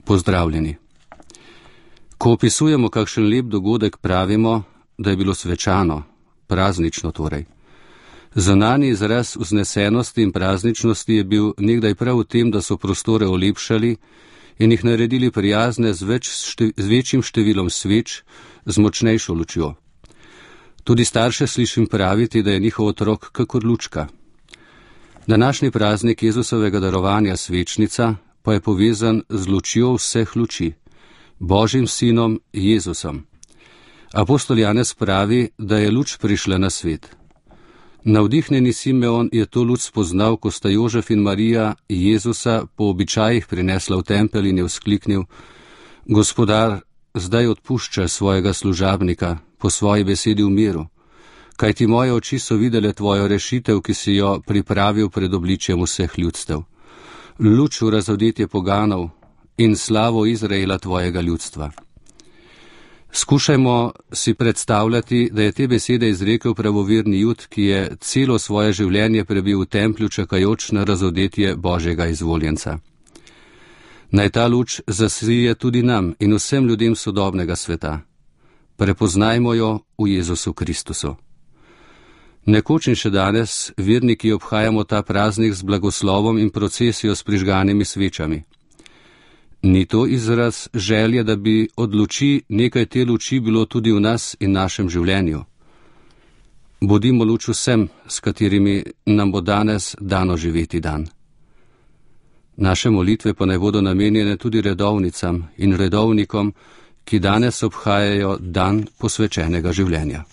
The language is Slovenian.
Pozdravljeni. Ko opisujemo kakšen lep dogodek, pravimo, da je bilo svečano, praznično torej. Zunanji izraz vznesenosti in prazničnosti je bil nekdaj prav v tem, da so prostore olepšali in jih naredili prijazne z večjim številom sveč, z močnejšo lučjo. Tudi starše slišim praviti, da je njihov otrok kakor lučka. Današnji praznik Jezusovega darovanja svečnica pa je povezan z lučjo vseh luči, Božjim sinom Jezusom. Apostol Janez pravi, da je luč prišla na svet. Navdihnjeni Simeon je to luč spoznal, ko sta Jožef in Marija Jezusa po običajih prinesla v tempelj in je vzkliknil: Gospodar, zdaj odpušča svojega služabnika po svoji besedi v miru, kajti moje oči so videle tvojo rešitev, ki si jo pripravil pred obličjem vseh ljudstev. Luč v razodetje poganov in slavo Izraela tvojega ljudstva. Skušajmo si predstavljati, da je te besede izrekel pravoverni Jud, ki je celo svoje življenje prebil v templju, čakajoč na razodetje Božjega izvoljenca. Naj ta luč zasije tudi nam in vsem ljudem sodobnega sveta. Prepoznajmo jo v Jezusu Kristusu. Nekoč in še danes verniki obhajamo ta praznik z blagoslovom in procesijo s prižganimi svečami. Ni to izraz želje, da bi od luči nekaj te luči bilo tudi v nas in našem življenju? Bodimo luč vsem, s katerimi nam bo danes dano živeti dan. Naše molitve pa naj bodo namenjene tudi redovnicam in redovnikom, ki danes obhajajo dan posvečenega življenja.